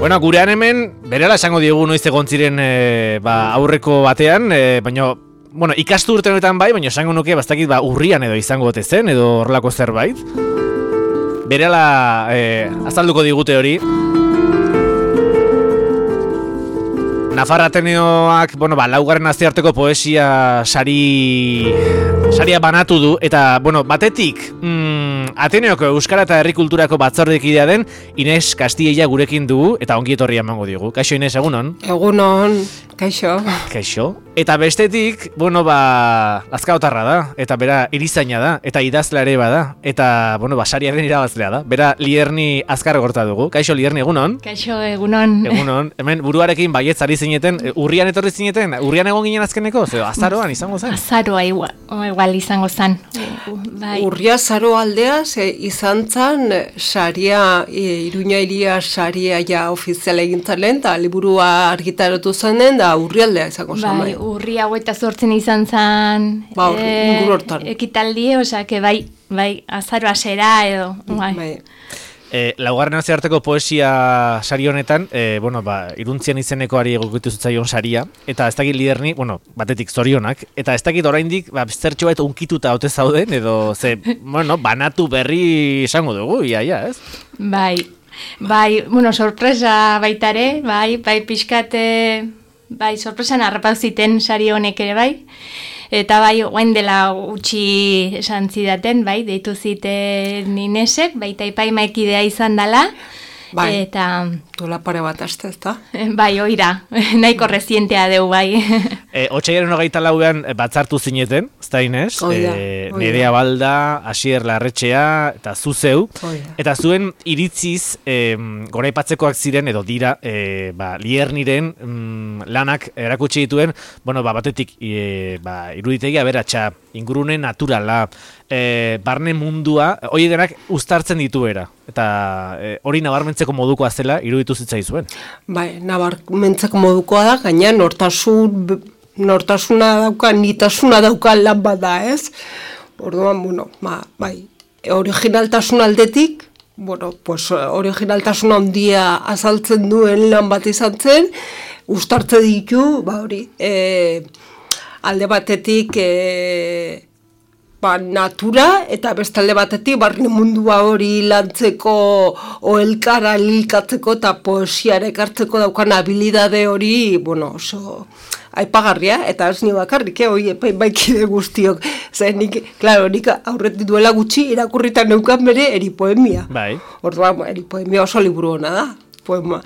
Bueno, gurean hemen, berela esango diogu noiz egon ziren aurreko batean, baina, bueno, ikastu urte honetan bai, baina esango nuke, bastakit, urrian edo izango ote zen, edo horrelako zerbait. Berela azalduko digute hori. Nafarra Ateneoak, bueno, laugarren nazioarteko poesia saria banatu du, eta, bueno, batetik, Ateneoko Euskara eta Herri Kulturako batzordekidea den Ines Castilla gurekin dugu, eta ongi etorria emango diogu. Kaixo, Ines, egunon? Egunon, kaixo. Kaixo. Eta bestetik, bueno, lazkaotarra da, eta bera erizaina da, eta idazlea ere bada, eta, bueno, sariaren irabazlea da. Bera Lierni Azkar gorta dugu. Kaixo, Lierni, egunon? Kaixo, egunon. Egunon. Hemen buruarekin baietz ari zineten, urrian etorri zineten, urrian egon ginen azkeneko, azaroan izango zen? Azaroa igual izango zen. Bai. Urria zaro aldea, izan zen, saria, Iruña iria saria ja ofiziala egintzen lehen, eta liburua argitaratu zenen, da urrialdea izango zen. Bai, urria 28 izan zen, ekitaldi, osake bai, azaroa zera edo. Bai. Laugarren nazioarteko poesia sari honetan, Iruntzian izenekoari egokitu zitzaion saria, eta ez dakit Lierni, batetik zorionak, eta ez dakit oraindik zertxo bat unkituta ote zauden, edo banatu berri esango dugu, ia, ez? Bai, sorpresa baitare, bai, pixkate, sorpresan harrapauziten sari honek ere, bai. Eta bai, oain dela utxi esan zidaten, bai, deitu ziten Inesek, baita epaimaekidea izan dela. Bai, eta dola pare bat aste, ez da? Bai, oira, nahiko rezientea deu, bai. Otsaiaren 24an batzartu zineten, ez da Ines? Nerea Balda, Asier Larretxea, eta zuzeu. Eta zuen iritziz, goraipatzekoak ziren, edo dira, Lierniren lanak erakutsi dituen, batetik, iruditegia beratxa, ingurune naturala, barne mundua, hori denak uztartzen dituera. Eta hori nabarmentzeko modukoa zela iruditu zitzaizuen. Bai, nabarmentzeko modukoa da, gaina nortasuna dauka, nitasuna dauka lan bat da, ez? Orduan, bai, originaltasun aldetik, originaltasun handia azaltzen duen lan bat izan zen, uztartze ditu, alde batetik natura, eta bestalde batetik barne mundua hori lantzeko o elkara lilkatzeko eta poesiare ekartzeko daukan habilidade hori, oso aipagarria, eta ez ni bakarrik, hori epaimaikide guztiok. Nik aurretik duela gutxi irakurritan neukan bere eripoemia. Bai. Orduan, eripoemia oso liburu hona da. Poema.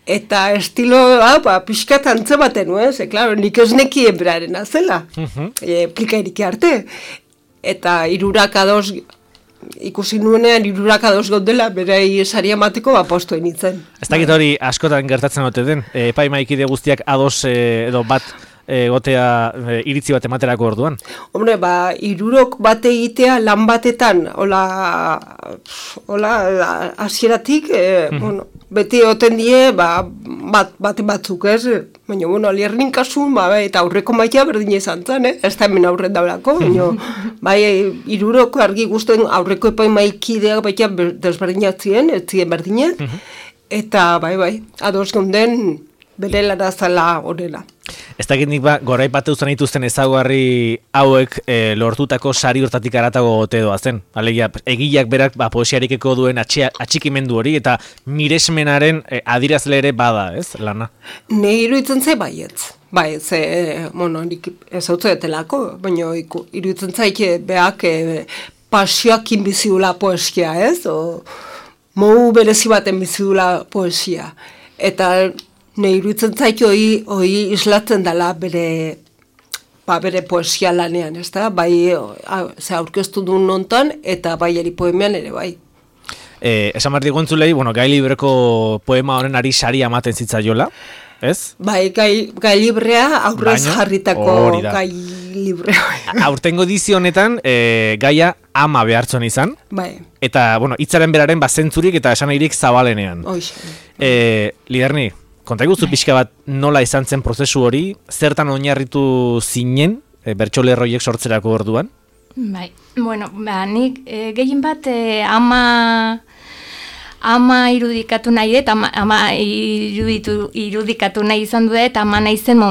Eta estiloa, pixkat antzematen, nik ez nekien beraren azela, plikairik arte. Eta ikusi nuenean 202 gaudela, berei saria emateko postu initzen. Ez dakit hori askotan gertatzen ote den, epaimaikide guztiak ados edo bat gotea iritzi bat ematerako orduan? Hombre, 3 bat egitea lan batetan, hola hasieratik, beti oten die, batzuk ez, baina, Liernin kasun, eta aurreko maia berdin izan zen, ez da hemen aurren daulako, baina, 3 argi guztuen aurreko epaimaikidea baita desberdinak ziren, ez ziren berdinak, eta, ados geunden, bere larazala horrela. Ez dakit nik goraipatu zen dituzten ezaugarri hauek lortutako sari hortatik aratago gote doazen. Alegia, egileak berak poesiarikeko duen atxikimendu hori eta miresmenaren adirazle ere bada, ez, lana? Ne iruditzen ze baietz. Nik ez hau zetelako, baina iruditzen zaike beak pasioak inbizidula poesia, ez? Mogu berezi baten bizidula poesia. Eta ne iruditzen zaiki hori islatzen dela bere poesia lanean, ez da? Bai, aurkeztu duen nontan, eta bai eripoemean ere bai. Esan behar diguntzulei, gai libreko poema honen ari saria ematen zitzaiola, ez? Bai, gai librea aurrez jarritako gai librea. Aurtengo edizio honetan, gaia ama behartzen izan, eta, hitzaren beraren zentzurik eta esanahirik zabalenean. Lierni, konta iguzu pixka bat nola izan zen prozesu hori, zertan oinarritu zinen bertsolerroiek sortzerako orduan? Bai, nik gehien bat ama ama irudikatu nahi dut, ama irudikatu nahi izan dut, ama nahi zen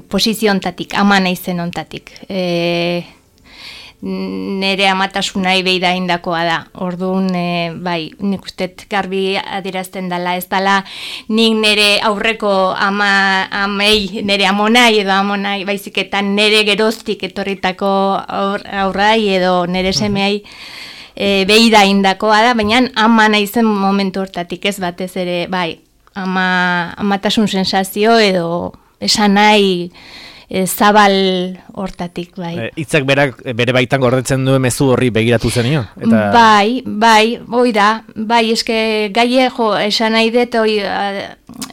posiziontatik, ama nahi zen ontatik. Nere amatasuna beida indakoa da. Orduan, bai, nik uste garbi adierazten dela, ez dela nik nere aurreko amei, nere amonai edo amonai, baizik eta nere geroztik etorritako aurrai edo nere semeai beida indakoa da, baina ama nahi zen momentu hortatik, ez batez ere, bai, amatasun sensazio edo esan nahi zabal hortatik, bai. Hitzak bere baitan gordetzen duen mezu horri begiratu zenio? Bai, hoi da, bai, eske gaie, esan nahi dut,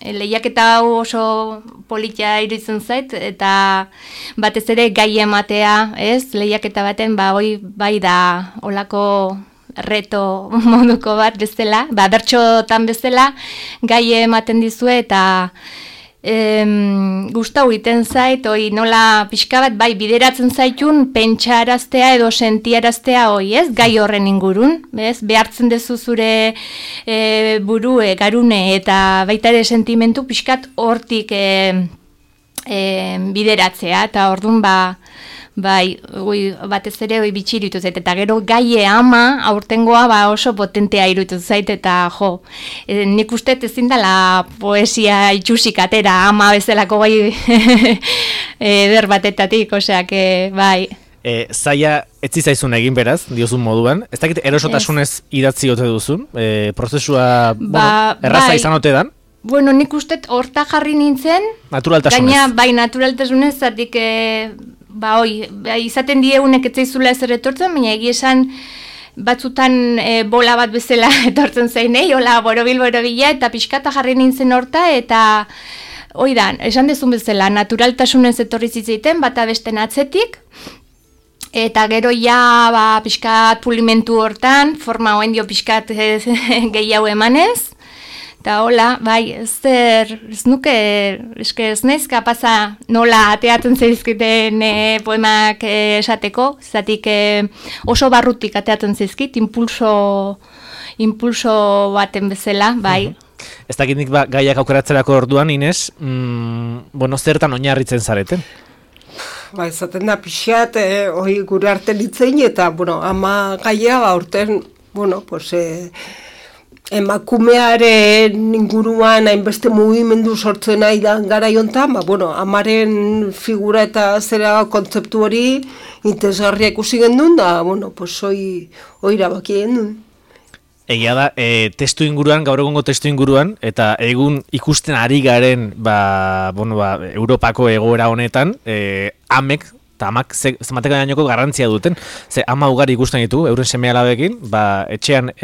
lehiaketa hau oso politia iruditzen zait, eta batez ere gai ematea, ez, lehiaketa baten, bai da, olako reto moduko bat bezala, bertxotan bezala, gai ematen dizue, eta gustau egiten zait, nola pixka bat, bai, bideratzen zaitun pentsaraztea edo sentiaraztea ez, gai horren ingurun, bez? Behartzen dezu zure burue, garune, eta baita ere sentimentu pixkat hortik bideratzea, eta orduan bai, batez ere bitxi iruditu zait, eta gero gaie ama aurtengoa oso potentea iruditu zait, eta nik uste ezin dela poesia itxusik atera ama bezalako gai eder batetatik, oseak, bai. Zaila etzi zaizun egin beraz, diozun moduan, ez dakit erosotasunez idatzi ote duzun, prozesua erraza izan ote dan? Bueno, nik uste horta jarri nintzen, naturaltasunez. Gaina, bai, naturaltasunez, zatik, izaten dieunek etzaizula ez etortzen, baina esan batzutan bola bat bezala etortzen zainei, hola, borobila, eta pixkata jarri nintzen horta, eta oidan, esan dezun bezala, naturaltasunez etorri zitzaiten, bata besten atzetik, eta gero ja, pixkat pulimentu hortan, forma hoen dio pixkat gehiago emanez, eta hola, bai, ez nuke, ez naiz kapaza nola ateatzen zaizkiten poemak esateko, zatik oso barrutik ateatzen zaizkit, impulso baten bezala, bai. Ez dakit nik gaiak aukeratzerako orduan, Ines, zertan oinarritzen zareten? Bai, zaten da pixat, gure arte litzein, eta, ama gaia, aurten, emakumearen inguruan hainbeste mugimendu sortzen nahi da gara jontan, amaren figura eta zera kontzeptu hori interesgarria ikusi gendun, da, hoi irabaki gendun. Egia da, testu inguruan, gaur egungo testu inguruan, eta egun ikusten ari garen, Europako egoera honetan, amek, eta amak zemateko dainoko garrantzia duten. Ze ama ugari ikusten ditu, euren seme-alabekin, atzean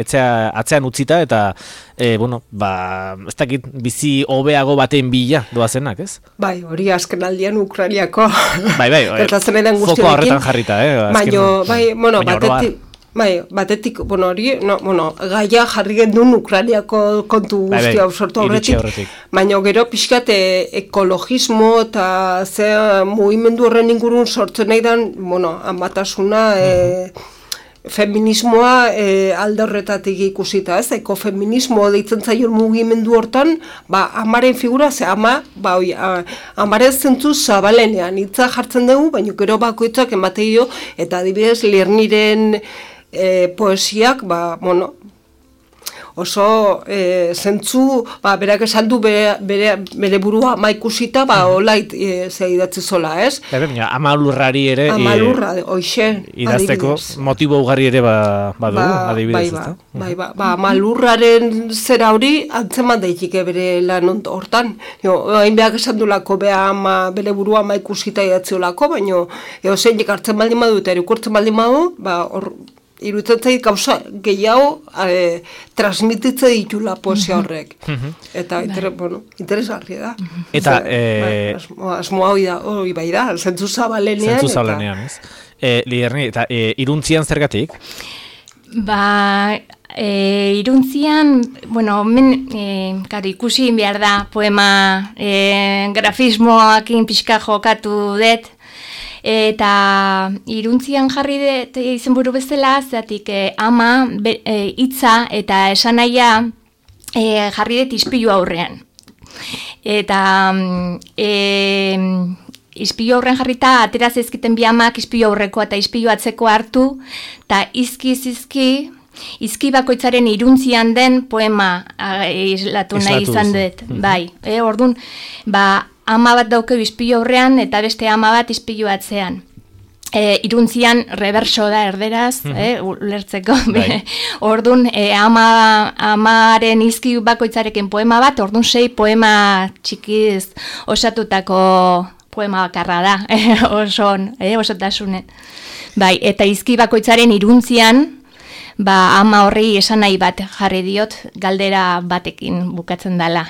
utzita, eta, ez dakit, bizi hobeago baten bila doazenak, ez? Bai, hori azken aldian Ukrainiako. Bai, foko horretan jarrita, batetik, gaia jarri gendun Ukrainiako kontu guztia sortu horretik, baina gero pixkat ekologismo eta ze mugimendu horren ingurun sortzen nahi dan, amatasuna, feminismoa alde horretatik ikusita, ez? Ekofeminismo deitzen zaion mugimendu hortan, amaren figura, ze amaren zentzu zabalenean, hitza jartzen dugu, baina gero bakoitzak emateio, eta adibidez, Lerniren poesiak, oso zentzu, berak esan du bere burua ama ikusita, olait idatzi zola, ez? Ama lurrari ere idazteko motibo ugari ere badu, adibidez, ez da? Ama lurraren zera hori antzeman daitik bere lan hortan. Hain behak esan dulako bere burua ama ikusita idatzi olako, baina zeinik hartzen baldin badu eta erukurtzen baldin badu, iruditzen zait gauza gehiago transmititzen ditula poesia horrek. Eta, interesgarria da. Eta, asmoa hori bai da, zentzu zabalenean. Zentzu zabalenean, ez. Liderni, eta iruntzian zergatik? Iruntzian, ikusi behar da poema grafismoakin pixka jokatu dut, Eta iruntzian jarri dut izenburu bezala, zeatik ama hitza eta esanahia jarri dut ispilu aurrean. Eta ispilu aurrean jarrita, atera zezkiten bi amak ispilu aurrekoa eta ispilu atzeko hartu, eta izki bakoitzaren iruntzian den poema islatu nahi izan dut. Bai, orduan, ama bat daukeu ispilu aurrean eta beste ama bat ispilu atzean. Iruntzian reverso da erderaz, ulertzeko. Orduan, amaren izki bakoitzarekin poema bat, orduan 6 poema txikiz osatutako poema bakarra da, osotasunen. Bai, eta izki bakoitzaren iruntzian, ama horri esan nahi bat jarri diot, galdera batekin bukatzen dela.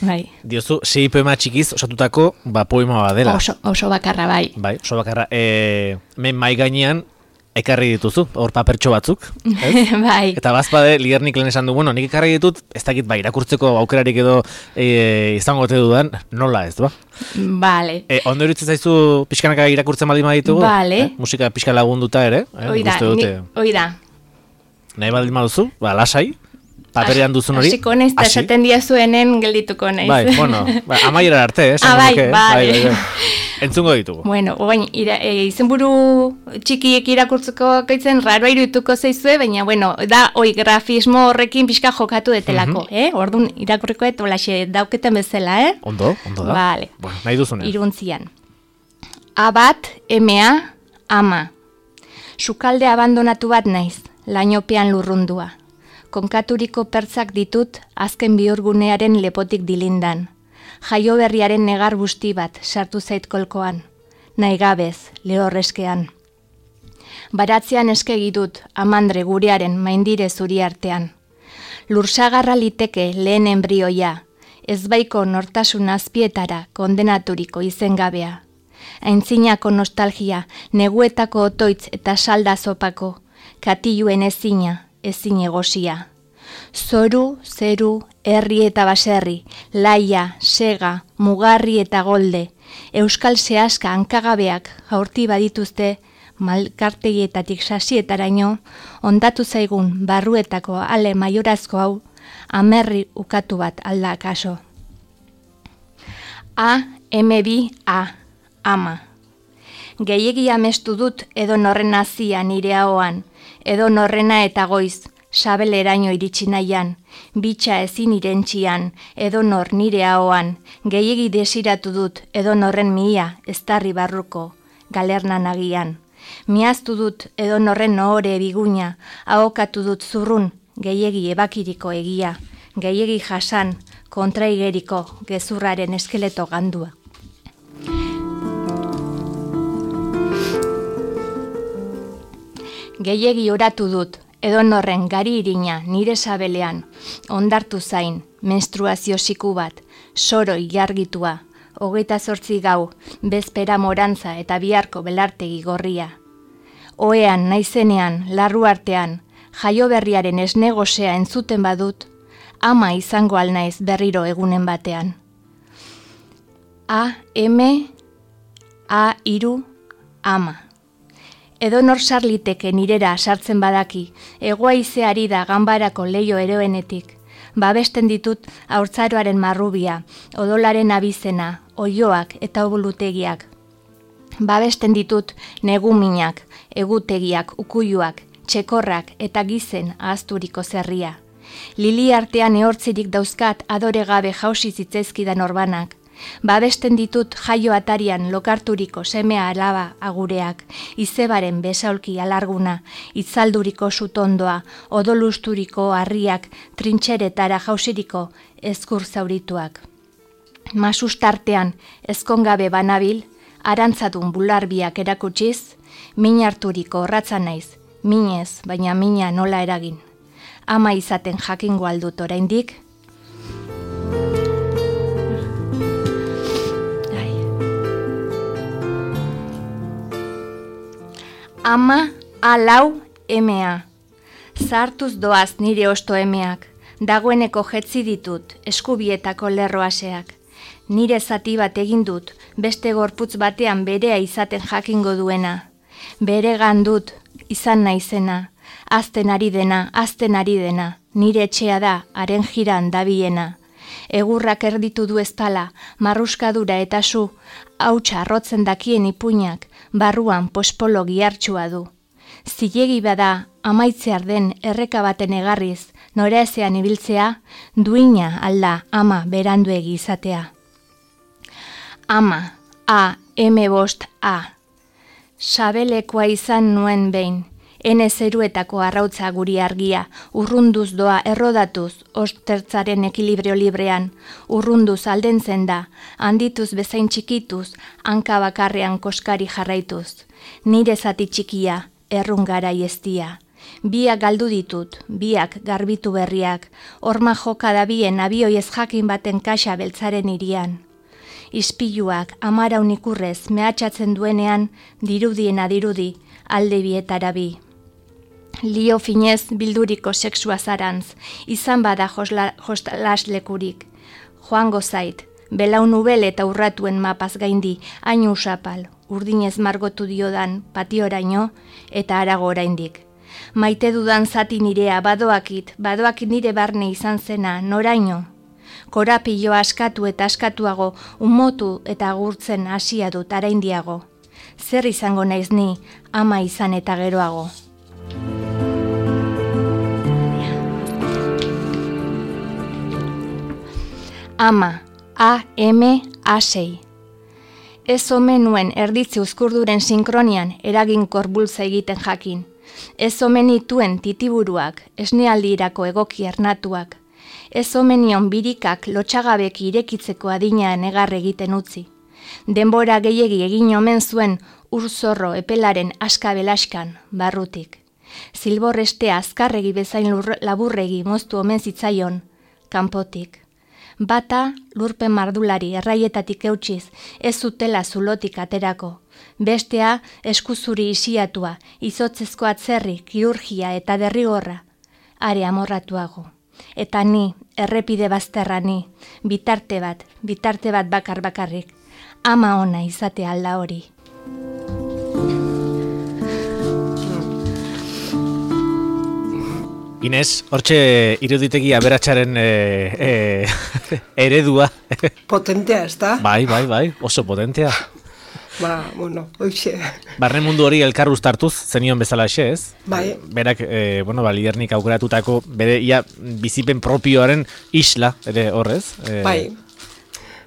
Bai. Diozu, 6 poema txikiz osatutako poema bat dela. Oso bakarra, bai. Bai, oso bakarra. Men mai gainean, ekarri dituzu, hor papertxo batzuk. Bai. Eta bazpade, Ligernik lehen esan du, bueno, nik ekarri ditut, ez dakit, irakurtzeko aukerarik edo izango ote dudan, nola ez, ba? Bale. Ondo iruditzen zaizu pixkanaka irakurtzen baldin baditugu? Bale. Musika pixka lagunduta ere? Oida. Nahi baldin baduzu, lasai, paperean duzun hori. Hasiko naiz, eta esaten diazuenen geldituko naiz. Bai, bueno, amaieran arte, bai. Entzungo ditugu. Bueno, oain, izenburu txikiek irakurtzeko kaitzen raroa irudituko zaizue, baina, bueno, da, grafismo horrekin pixka jokatu detelako, Orduan, irakurriko olaxe dauketen bezala, Ondo da. Vale. Bueno, nahi duzunen. Iruntzian. A bat, emea, ama. Sukalde abandonatu bat naiz, lainopean lurrundua. Konkaturiko pertzak ditut azken bihurgunearen lepotik dilindan. Jaio berriaren negar busti bat sartu zait kolkoan. Naigabez, lehorreskean. Baratzean eskegi dut amandre gurearen maindire zuri artean. Lursagarra liteke lehen enbrioia, ezbaiko nortasun azpietara kondenaturiko izengabea. Aintzinako nostalgia, neguetako otoitz eta salda zopako, katiluen ezin egosia. Zoru, zeru, herri eta baserri, laia, sega, mugarri eta golde, euskal sehaska hankagabeak jaurti badituzte, malkartegietatik sasietaraino, ondatu zaigun barruetako ale maiorazko hau, amerri ukatu bat alda kaso. A, ama. Gehiegi amestu dut edo norren azia nire ahoan, edo norrena eta goiz, sabeleraino iritsi nahian, bitxa ezin irentxian, edo nor nire ahoan, gehiegi desiratu dut edo norren mihia, eztarri barruko, galernan agian. Miaztu dut edo norren ohore biguina, ahokatu dut zurrun, gehiegi ebakiriko egia, gehiegi jasan, kontraigeriko, gezurraren eskeleto gandua. Gehiegi oratu dut, edo norren gari irina nire sabelean, ondartu zain, menstruazio siku bat, soro ilargitua, 28 gau, bezpera morantza eta biharko belartegi gorria. Oean naizenean, larru artean, jaio berriaren esne gosea entzuten badut, ama izango alnaiz berriro egunen batean. Ama. Edo nor sarliteke nirera sartzen badaki, egoaizeari da ganbarako leio eroenetik, babesten ditut haurtzaroaren marrubia, odolaren abizena, oioak eta obulutegiak. Babesten ditut neguminak, egutegiak, ukuiluak, txekorrak eta gizen ahazturiko zerria. Lili artean ehortzirik dauzkat adore gabe jausi zitzaizkidan orbanak. Babesten ditut jaio atarian lokarturiko semea alaba agureak, izebaren besaulki alarguna, itzalduriko sutondoa, odolusturiko harriak, trintxeretara jausiriko ezkur zaurituak. Masustartean ezkongabe banabil, arantzadun bularbiak erakutsiz, min harturiko horratza naiz, minez, baina mina nola eragin. Ama izaten jakingo aldut oraindik. Ama, alau, emea. Zartuz doaz nire osto emeak, dagoeneko jetzi ditut eskubietako lerroaseak. Nire zati bat egin dut, beste gorputz batean berea izaten jakingo duena. Bere gandut, izan naizena, azten ari dena, nire etxea da, haren jiran dabiena. Egurrak erditu du ezpala, marruskadura eta su, hautsa arrotzen dakien ipuinak, barruan pospolo gihartsua du. Zilegi bada, amaitzear den erreka baten egarriz, nora ezean ibiltzea, duina alda ama beranduegi izatea. Ama, A. Sabelekoa izan nuen behin, ene zeruetako arrautza guri argia, urrunduz doa errodatuz, ostertzaren ekilibrio librean, urrunduz aldentzen da, handituz bezain txikituz, hanka bakarrean koskari jarraituz. Nire zati txikia, errungara ieztia. Biak galdu ditut, biak garbitu berriak, horma joka dabien abioiez jakin baten kaxa beltzaren irian. Ispiluak amaraun ikurrez mehatxatzen duenean, dirudiena dirudi, alde bietara bi. Lio finez bilduriko seksua zarantz, izan bada joslaslekurik. Joango zait, belaun ubel eta urratuen mapaz gaindi, hain usapal, urdinez margotu diodan patioraino eta harago oraindik. Maite dudan zati nirea badoakit nire barne izan zena, noraino. Korapilo askatu eta askatuago, umotu eta gurtzen hasia dut araindiago. Zer izango naiz ni, ama izan eta geroago. Ama, A-M-A-6. Ez omen nuen erditzi uzkurduren sinkronian eraginkor bultza egiten jakin. Ez omen ituen titiburuak, esnealdirako egoki ernatuak. Ez omenion birikak lotxagabek irekitzeko adina negar egiten utzi. Denbora gehiegi egin omen zuen urzorro epelaren askabelaskan, barrutik. Zilborrestea azkarregi bezain laburregi moztu omen zitzaion, kanpotik. Bata lurpen mardulari erraietatik eutxiz, ez zutela zulotik aterako. Bestea eskuzuri isiatua, izotzezko atzerri, kirurgia eta derrigorra, are amorratuago. Eta ni, errepide bazterra ni, bitarte bat bakarrik, ama ona izate alda hori. Inez, hortxe iruditegi aberatsaren eredua. Potentea, ez da? Bai, oso potentea. Hoxe. Barne mundu hori elkar uztartuz, zenion bezala ez? Bai. Berak, Lidernik aukeratutako, bere bizipen propioaren isla, ere horrez? Bai.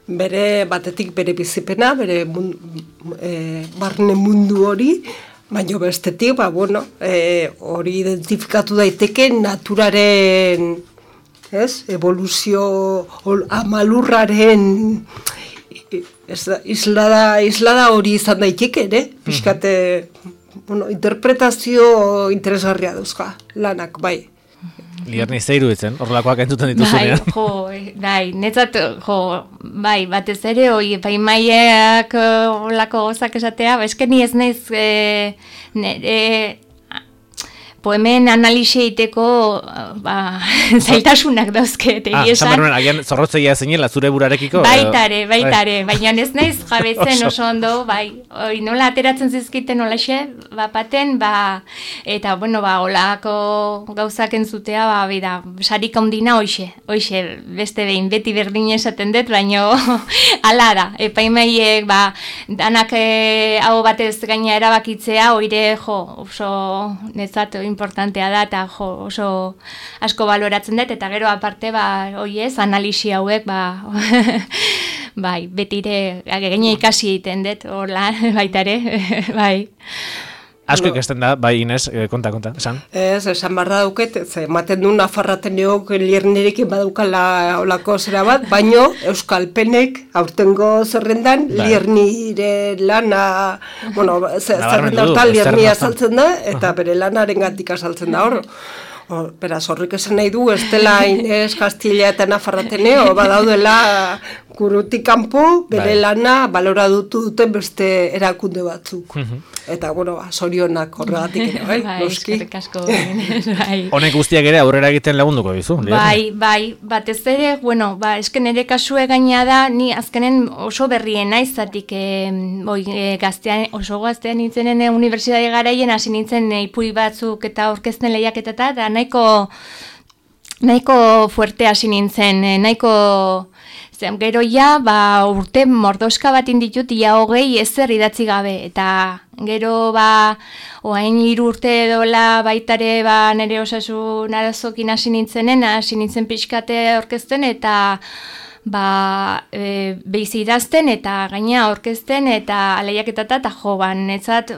Bere batetik bere bizipena, bere barne mundu hori, baina bestetik, hori identifikatu daiteke naturaren, evoluzio amalurraren islada hori izan daiteke, pixkate, interpretazio interesgarria dauzka, lanak, bai. Liderni zeiru ditzen, horrelakoak entzuten dituzunean. Netzat, batez ere, epaimaiak horrelako gozak esatea, ni ez naiz, poemen analisi egiteko zailtasunak dauzket, esan. Agian zorrotzeia zinela zure burarekiko? Baitare, baina ez naiz jabetzen oso ondo, nola ateratzen zizkiten olaxe, bapaten, eta, olako gauzak entzutea, sarik ondina hoxe, beste behin, beti berdin esaten dut, baina ala da, epaimaiek, danak hau batez gaina erabakitzea, oire, oso netzat, importantea da, eta oso asko baloratzen dut, eta gero aparte, analisi hauek, betire, gaina ikasi egiten dut, horla, baitare, bai. Asko ikasten da, Inez, konta, esan? Esan barra dauket, ematen du Nafarrateneok Liernerekin badaukala olako zera bat, baino Euskalpenek aurtengo zerrendan Liernire lana, zerrenda hortan Liernia saltzen da, eta bere lanaren gatik asaltzen da hor. Beraz, horrik esan nahi du, ez dela Inez, Kastila eta Nafarrateneo, badaudela gurutik kanpo, bere lana balora duten beste erakunde batzuk. Eta, bueno, sorionak horregatik ere, bai? Eskerrik asko. Honek guztiak ere aurrera egiten lagunduko dizu. Bai, batez ere, bueno, esken ere kasue gaina da, ni azkenen oso berrien naiz, zatik oso gaztean nintzenen unibertsitate garaien, hasi nintzen ipui batzuk eta orkesten lehiaketeta, eta nahiko fuerte hasi nintzen, gero ja, urte mordoska bat inditut, ia 20 ezer idatzi gabe, eta gero oain 3 urte dola baitare nire osasun arazokin hasi nintzen pixkate orkesten, eta behiz idazten, eta gaina orkesten, eta lehiaketata, eta netzat,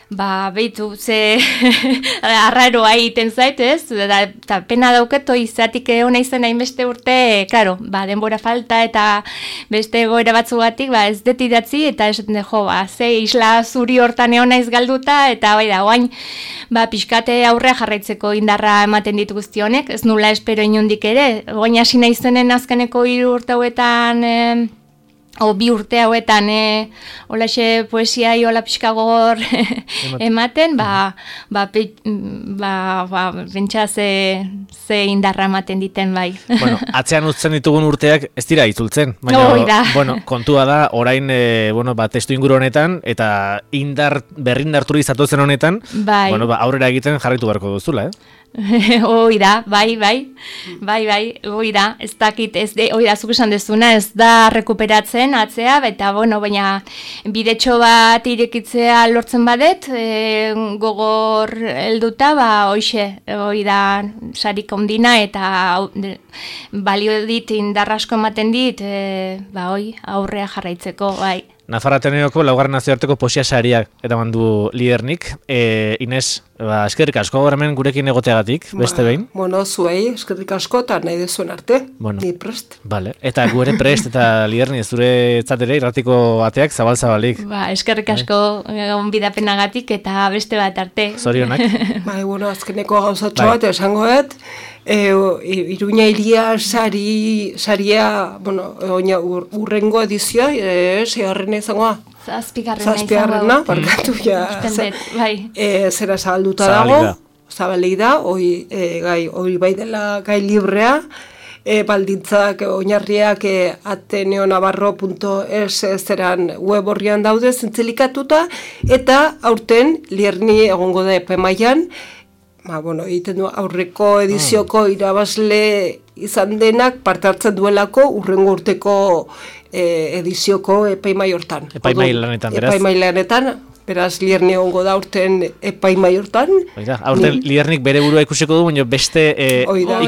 behitu, ze arraroa egiten zait, ez? Eta pena dauketo izatik hona izan hainbeste urte, karo, denbora falta eta beste egoera batzugatik, ez dut idatzi, eta esaten ze isla zuri hortan egon naiz galduta, eta oain, pixkate aurrea jarraitzeko indarra ematen ditu guzti honek, ez nula espero inundik ere, oain hasi naizenen azkeneko 3 urte hauetan, 2 urte hauetan, holaxe poesia hola pixka gogor ematen, bentsa ze indarra ematen diten bai. Bueno, atzean utzen ditugun urteak ez dira itzultzen, baina, kontua da, orain, testu inguru honetan, eta berrindarturi zatozen honetan, aurrera egiten jarraitu beharko duzula, Oida, bai, oida, ez dakit, oida, zuk esan dezuna, ez da rekuperatzen atzea, eta, baina bidetxo bat irekitzea lortzen badet, gogor helduta, oida, sarik ondina, eta balio dit, indarrasko ematen dit, aurrea jarraitzeko, bai. Nafarra Ateneoko 4. nazioarteko poesia sariak edaman du Lidernik. Inés, eskerrik asko hemen gurekin egoteagatik, beste behin. Bueno, zuei, eskerrik asko eta nahi dezuen arte, ni prest. Vale. Eta gu ere prest eta Liderni ez dure etzatera irratiko ateak zabal-zabalik. Eskerrik asko onbidapenagatik eta beste bat arte. Zorionak. Azkeneko gauzatxo bat, esangoet, Iruña iria saria, urrengo edizioa, segarrena izangoa. Zazpigarrena, barkatu, zera zabalduta dago, zabalei da, hori bai dela gai librea, baldintzak, oinarriak ateneonavarro.es zeran web horrian daude zintzilikatuta, eta aurten Lierni egongo da epemaian, egiten du aurreko edizioko irabazle izan denak parte hartzen duelako urrengo urteko edizioko epaimai hortan. Epaimai lanetan, beraz? Epaimai lanetan, beraz Lierni egongo da urten epaimai hortan. Aurten Liernik bere burua ikusiko du, baina beste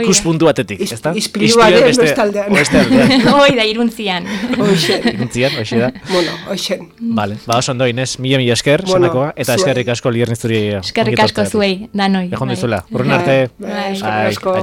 ikuspuntu batetik, ez da? Ispilibaren bestaldean. Oida, iruntzian. Iruntzian, hoxe da. Hoxen. Vale, oso ondo, Inés, mila esker, sanakoa, eta eskerrik asko Lierni zuri. Eskerrik asko zuei, danoi. Egon dizula, urren arte. Eskerrik asko.